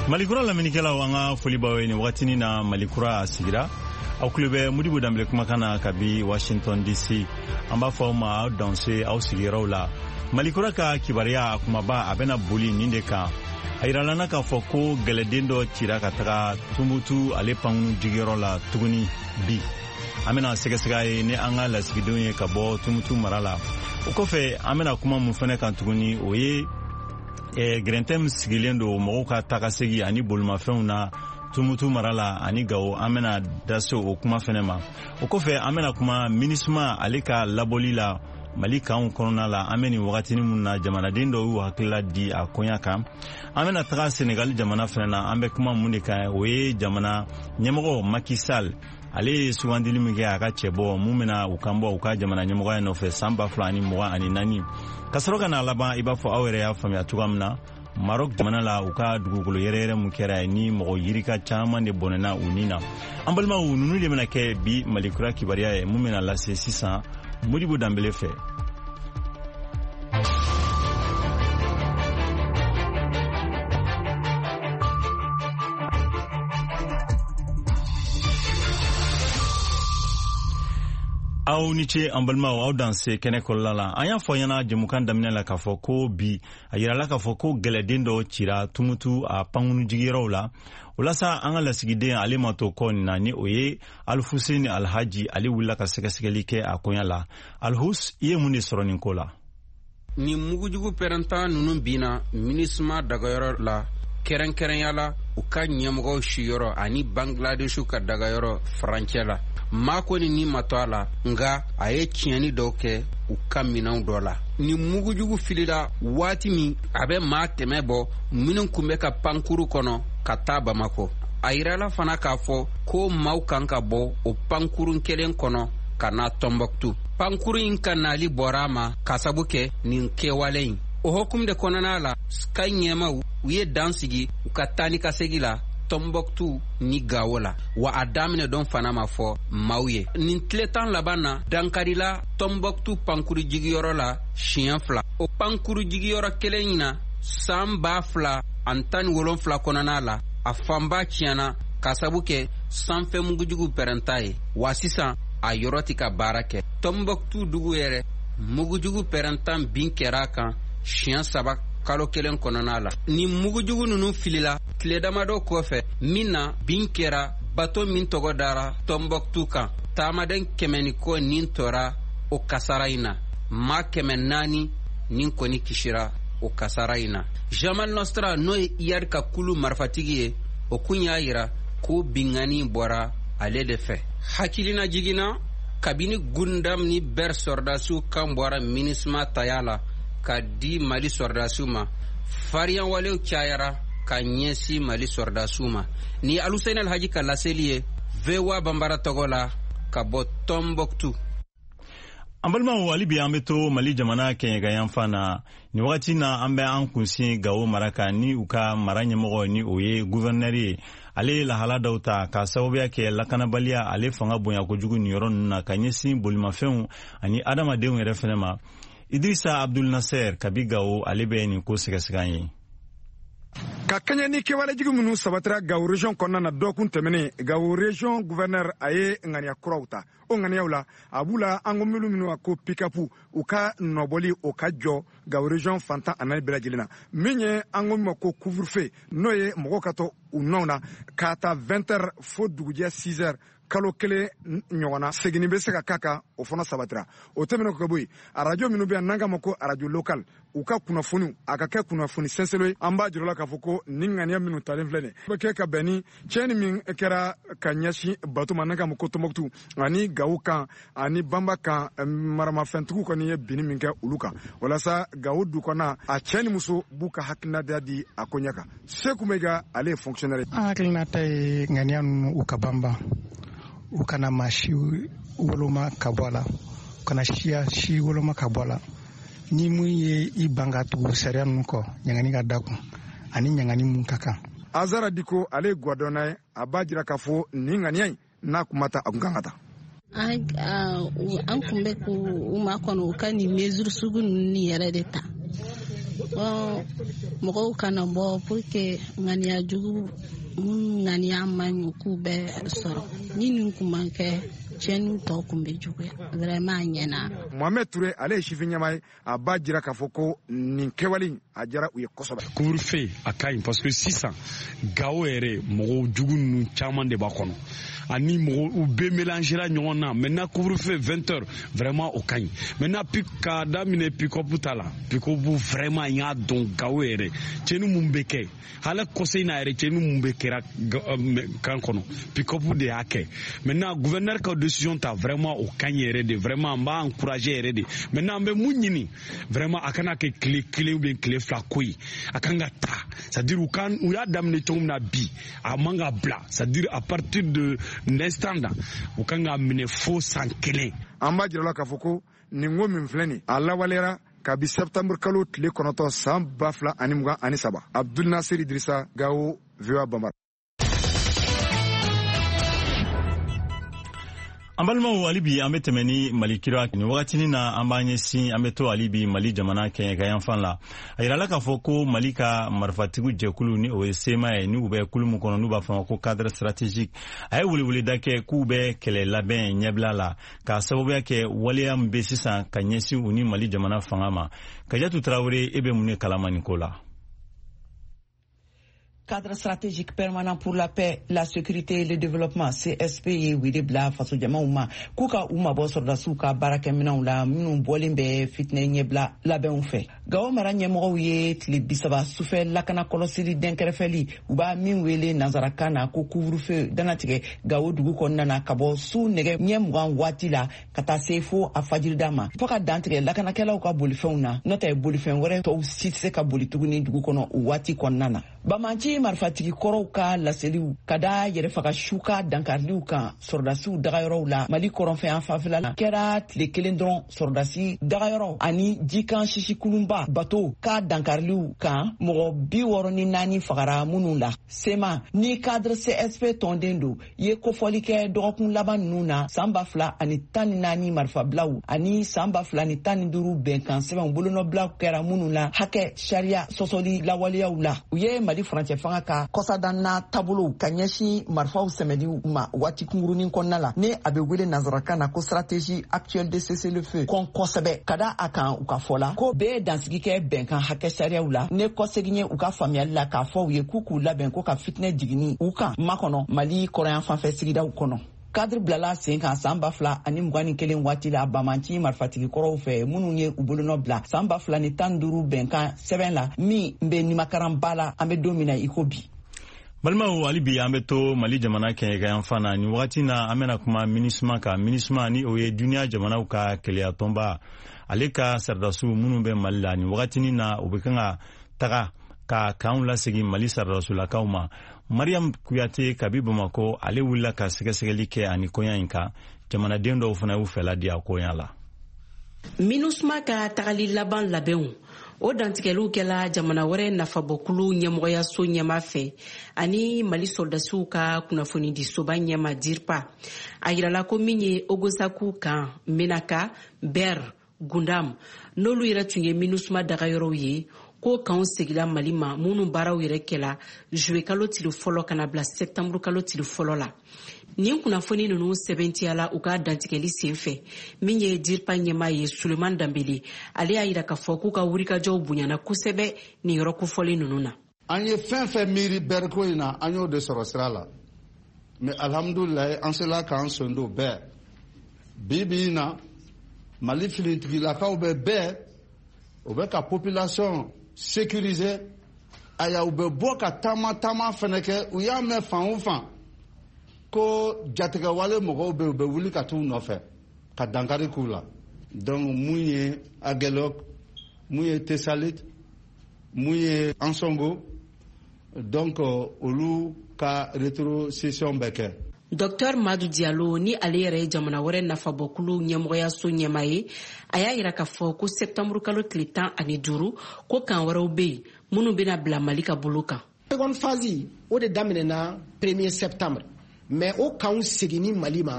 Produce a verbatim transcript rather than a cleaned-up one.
Malikura lamɛnnikɛlaw, an ka foli b'aw ye nin wagatinin na. Malikura a sigira, aw tulo bɛ Modibo Danbele kumakan na kabi Washington D C. An b'a fɔ aw ma, aw danse aw sigiyɔrɔw la. Malikura ka kibaruya a kumaba, a bɛna boli nin de kan: a yiralana k'a fɔ ko gɛlɛden dɔ cira ka taga Tumutu ale pankunu jigiyɔrɔ la tuguni bi. An bɛna sɛgɛsɛgɛ ye ni an ka lasigidenw ye ka bɔ Tumutu mara la. O kɔfɛ, an bɛna kuma mun fɛnɛ kan tuguni, o ye eh, gɛrɛntɛ min sigilen don mɔgɔw ka tagasegi ani bolimafɛnw na Tumutu mara la ani Gawo. An bɛna da se o kuma fɛnɛ ma. O kɔfɛ, an bɛna kuma MINUSMA ale ka labɔli la Mali kanw kɔnɔna la. An bɛ nin wagatinin mun na, jamanaden dɔw y'u hakilila di a koɲa kan. An bɛna taga Senegali jamana fɛnɛ na. An bɛ kuma mun de kan, o ye jamana ɲɛmɔgɔ Macky Sall, ale ye sugandili min kɛ a ka cɛbɔ mun bɛna u kan bɔ u ka jamana ɲɛmɔgɔya nɔfɛ san ba fila ani mugan ani naani. Ka sɔrɔ ka n'a laban, i b'a fɔ aw yɛrɛ y'a faamuya cogoya min na, Maroc jamana la, u ka dugukolo yɛrɛyɛrɛ mun kɛra ni mɔgɔ yirika caman de bɔnɛna u ni na. An balimaw, ninnu de bɛna kɛ bi Malikura kibaruya ye mun bɛna lase sisan Modibo Danbele fɛ. Aw ni ce, an balimaw, aw danse kɛnɛ kɔrɔla la. An y'a fɔ ɲɛna jɛmukan daminɛ la k'a fɔ ko bi, a yirala k'a fɔ ko gɛlɛden dɔ cira Tumutu a pankunu jigiyɔrɔw la. O la sa, an ka lasigiden, ale ma to kɔ nin na, ni o ye Alifuseni Alhaji, ale wulila ka sɛgɛsɛgɛli kɛ a koɲa la. Alihus, i ye mun de sɔrɔ nin ko la? Nin mugujugu pɛrɛntan ninnu binna MINUSMA dagayɔrɔ la, kɛrɛnkɛrɛnya la u ka ɲɛmɔgɔw siyɔrɔ ani Bangladeshu ka dagayɔrɔ farancɛ la. Maa kɔni ni ma to a la, nga a ye tiɲɛni dɔw kɛ u ka minɛnw dɔ la. Nin mugujugu filila waati min, a bɛ maa kɛmɛ bɔ minnu kun bɛ ka pankuru kɔnɔ ka taa Bamakɔ. A yirala fana k'a fɔ ko maaw kan ka bɔ o pankurun kelen kɔnɔ ka na Tɔnbɔkutu. Pankuru in ka nali bɔra a ma ka sabu kɛ nin kɛwale in. O hokumu de kɔnɔna la, ka ɲɛmaw u ye dan sigi u ka taa ni ka segi la Tɔnbɔkutu ni Gawo la, wa a daminɛ dɔn fana ma fɔ maaw ye. Nin tile tan laban na, dankarila Tɔnbɔkutu pankuru jigiyɔrɔ la siɲɛ fila. O pankuru jigiyɔrɔ kelen in na, san ba fila ani tan ni wolonfila kɔnɔna la, a fanba tiɲɛna ka sabu kɛ sanfɛ mugujugu pɛrɛnta ye, wa sisan a yɔrɔ tɛ ka baara kɛ. Tɔnbɔkutu dugu yɛrɛ, mugujugu pɛrɛntan bin kɛra a kan siɲɛ saba kalo kelen kɔnɔna la. Nin mugujugu ninnu filila tile damadɔ kɔfɛ min na, bin kɛra bato min tɔgɔ dara Tɔnbɔkutu kan. Taamaden kɛmɛ ni kɔ nin tora o kasara in na, maa kɛmɛ naani nin kɔni kisira o kasara in na. Jamal Nostra, n'o ye Iyad ka kulu marifatigi ye, o kun y'a yira ko bingani bɔra ale de fɛ. Hakilina jiginna, kabini Gundam ni Ber sɔrɔdasiw kan bɔra MINUSMA taya la ka di Mali sɔrɔdasiw ma, fariyanwalew cayara ka ɲɛsin Mali sɔrɔdasiw ma. Ni Aluseni Alhaji ka laseli ye V O A Banbara tɔgɔ la ka bɔ Tɔnbɔkutu. An balimaw, hali bi an be to Mali jamana kɛɲɛka na. Nin wagati na, an bɛ an kunsin Gawo mara kan, ni u ka mara ɲɛmɔgɔ, ni o ye guvɛrnɛri ye, ale ye lahala dɔw ta ka sababuya kɛ lakanabaliya ale fanga bonya kojugu nin yɔrɔ ninnu na ka ɲɛsin bolimafɛnw ani adamadenw yɛrɛ fɛnɛ ma. Idrisa Abdul Nasser kabi Gawo, ale bɛ nin ko sɛgɛsɛgɛ an ye. Ka kɛɲɛ ni kɛwalejigi minnu sabatira Gawo région kɔnɔna na dɔɔkun tɛmɛnen, Gawo région gouverneur a ye ŋaniya kuraw ta. O ŋaniyaw la, a b'u la an ko minnu minnu ko pick-up, u ka nɔbɔli o ka jɔ Gawo région fantan a naani bɛɛ lajɛlen na. Min ye an ko min ma ko couvre-feu, n'o ye mɔgɔw ka to u nɔw na k'a ta vingt heures fo dugujɛ six heures, kalo kelen ɲɔgɔnna, seginni bɛ se ka k'a kan, o fana sabatira. O tɛmɛnen ka bɔ yen, arajo minnu bɛ yan n'an k'a ma ko arajo local, u ka kunnafoniw a ka kɛ kunnafoni sɛnsɛn ye. An b'a jira la k'a fɔ ko nin ŋaniya minnu talen filɛ nin bɛ kɛ ka bɛn ni tiɲɛni min kɛra ka ɲɛsin bato ma n'an k'a ma ko Tɔnbɔkutu ani Gawo kan ani Banba kan, maramafɛntigiw kɔni ye binni min kɛ olu kan, walasa Gawo du kɔnɔna a cɛ ni muso b'u ka hakilinata di a koɲɛ kan. Seku Mayiga, ale ye fonctionnaire ye. An hakilinata ye ŋaniya ninnu u ka banban, u kana maa si woloma ka bɔ a la, u kana siya si woloma ka bɔ a la. Ni mun ye i ban ka tugu sariya ninnu kɔ, ɲangani ka da kun ani ɲangani mun ka kan. Azara Diko, ale ye gwadɔnna ye, a b'a jira k'a fɔ nin ŋaniya in n'a kuma ta, a kun kan ka ta. An kun bɛ k'u makɔnɔ u ka nin mesure sugu ninnu yɛrɛ de ta. Bon, mɔgɔw kana bɔ pour que ŋaniya jugu minnu ŋaniya man ɲi k'u bɛɛ sɔrɔ. Ni nin kun man kɛ, tiɲɛniw tɔ kun bɛ juguya. Vraiment a ɲɛna. Mohamed Touré, ale ye sifin ɲɛmaa ye, a b'a jira k'a fɔ ko nin kɛwale a diyara u ye kosɛbɛ. Couvre-feu a ka ɲi parce que sisan Gawo yɛrɛ mɔgɔw jugu ninnu caman de b'a kɔnɔ ani mɔgɔ u bɛɛ mélangera ɲɔgɔn na. Maintenant couvre-feu vingt heures, vraiment o ka ɲi. Maintenant k'a daminɛ pick-up ta la, pick-up vraiment n y'a dɔn Gawo yɛrɛ tiɲɛni mun bɛ kɛ hali kɔsɛ in na yɛrɛ, tiɲɛni mun bɛ kɛra kan kɔnɔ, pick-up de y'a kɛ. Maintenant gouverneur ka décision ta, vraiment o ka ɲi yɛrɛ de, vraiment n b'a encourager yɛrɛ de. Maintenant an bɛ mun ɲini, vraiment a kana kɛ tile kelen ou bien tile fila ko ye, a kan ka ta, c'est à dire u kan u y'a daminɛ cogo min na bi, a man ka bila, c'est à dire à partir de l'instant là u kan ka minɛ fo san kelen. An b'a jira la k'a fɔ ko nin ko min filɛ nin, a lawaleyara kabi septembre kalo tile kɔnɔntɔn san ba fila ani mugan ani saba. Abdul Nasir Idrissa, Gawo, V O A Bambara. An balimaw, hali bi an bɛ tɛmɛ ni Mali kira. Nin wagatinin na, an b'an ɲɛsin, an bɛ to hali bi Mali jamana kɛɲɛka la. A yirala k'a fɔ ko Mali ka marifatigiw jɛkulu, ni o ye C M A ye, ni u bɛ kulu min kɔnɔ n'u b'a fɔ ma ko Cadre stratégique, a ye weleweleda kɛ k'u bɛ kɛlɛ labɛn ɲɛbila la k'a sababuya kɛ waleya min bɛ sisan ka ɲɛsin u ni Mali jamana fanga ma. Kajatu Tarawele, e bɛ mun de kalama nin ko la? Cadre stratégique permanent pour la paix, la sécurité et le développement, C S P, ye wele bila fasojamaw ma k'u ka u mabɔ sɔrɔdasiw ka baarakɛminɛw la minnu bɔlen bɛ fitinɛ ɲɛbila labɛnw fɛ. Gawo mara ɲɛmɔgɔw ye tile bisaba sufɛ lakana kɔlɔsili dɛnkɛrɛfɛli, u b'a min wele nansarakan na ko couvre-feu, danatigɛ Gawo dugu kɔnɔna na ka bɔ su nɛgɛ ɲɛ mugan waati la ka taa se fo a fajirida ma, fɔɔ ka dantigɛ lakanakɛlaw ka bolifɛnw na, n'o tɛ bolifɛn wɛrɛ tɔw si tɛ se ka boli tuguni dugu kɔnɔ o waati kɔnɔna na. Bamanci marifatigi kɔrɔw ka laseliw ka da yɛrɛfaga su ka dankariliw kan sɔrɔdasiw dagayɔrɔw la Mali kɔrɔnfɛyan fanfɛla la kɛra tile kelen dɔrɔn, sɔrɔdasi dagayɔrɔ ani jikan sisikulunba bato ka dankariliw kan, mɔgɔ bi wɔɔrɔ ni naani fagara minnu la. C M A ni cadre C S P tɔnden don ye kofɔli kɛ dɔgɔkun laban ninnu na, san ba fila ani tan ni naani marifabilaw ani san ba fila ni tan ni duuru bɛnkan sɛbɛnw bolonɔbilaw kɛra minnu la hakɛ sariya sɔsɔli lawaleyaw la, u ye Mali furancɛ fanga ka kɔsadanna taabolow ka ɲɛsin marifaw sɛmɛliw ma waati kunkurunin kɔnɔna la, ni a bɛ wele nansarakan na ko stratégie actuelle de cessez-le-feu kɔn kosɛbɛ, ka da a kan u ka fɔ la ko bɛɛ ye dansigi kɛ bɛnkan hakɛ sariyaw la, ne kɔsegin ye u ka faamuyali la k'a fɔ u ye k'u k'u labɛn ko ka fitinɛ jiginni u kan makɔnɔ Mali kɔrɔyan fanfɛ sigidaw kɔnɔ. Cadre bilala sen kan san ba fila ani mugan ni kelen waati la bamanci marifatigi kɔrɔw fɛ minnu ye u bolonɔ bila san ba fila ni tan duuru bɛnkan sɛbɛn la min bɛ nimakaranba la an bɛ don min na i ko bi. Balimaw, hali bi an bɛ to Mali jamana kɛɲɛkayanfan na. Nin wagati na, an bɛna kuma MINUSMA kan. MINUSMA, ni o ye duniya jamanaw ka kɛlɛyatɔnba, ale ka saradasiw minnu bɛ Mali la nin wagatinin na, u bɛ kan ka taga ka kanw lasegin Mali saradasulakaw ma. Mariam Kuyate kabi Bamako, ale wulila ka sɛgɛsɛgɛli kɛ ani koɲa in kan. Jamanaden dɔw fana y'u fɛla di a koɲa la. MINUSMA ka tagali laban labɛnw, o dantigɛliw kɛla jamana wɛrɛ nafabɔkulu ɲɛmɔgɔyaso ɲɛma fɛ ani Mali sɔrɔdasiw ka kunnafonidisoba ɲɛma DIRPA. A yirala ko min ye Ogosaku kan, Menaka, Ber, Gundam, n'olu yɛrɛ tun ye MINUSMA dagayɔrɔw ye, ko kanw segila Mali ma, minnu baaraw yɛrɛ kɛla zuwe kalo tile fɔlɔ ka na bila sɛptanburu kalo tile fɔlɔ la. Nin kunnafoni ninnu sɛbɛntiyala u ka dantigɛli sen fɛ. Min ye DIRPA ɲɛma ye, Suleman Danbele, ale y'a yira k'a fɔ k'u ka wulikajɔw bonyana kosɛbɛ nin yɔrɔ kofɔlen ninnu na. An ye fɛn fɛn miiri bɛriko in na, an y'o de sɔrɔ sira la, mais alhamdulilayi, an sela k'an sen don bɛɛ. Bi bi in na, Mali finitigilakaw bɛ bɛɛ, o bɛ ka population sécuriser. Aya, u bɛ bɔ ka taama taama fɛnɛ kɛ. U y'a mɛn fan o fan ko jatigɛwale mɔgɔw bɛ yen, u bɛ wuli ka t'u nɔfɛ ka dankari k'u la. Donc mun ye Agelok, mun ye Tesalit, mun ye Ansongo, donc olu ka rétrocession bɛ kɛ. Docteur Madu Diallo, ni ale yɛrɛ ye jamana wɛrɛ nafabɔkulu ɲɛmɔgɔyaso ɲɛma ye, a y'a yira k'a fɔ ko sɛptanburu kalo tile tan ani duuru ko kan wɛrɛw be yen minnu bena bila Mali ka bolo kan. Seconde phase, o de daminɛna premier septembre, mais o kanw seginni Mali ma.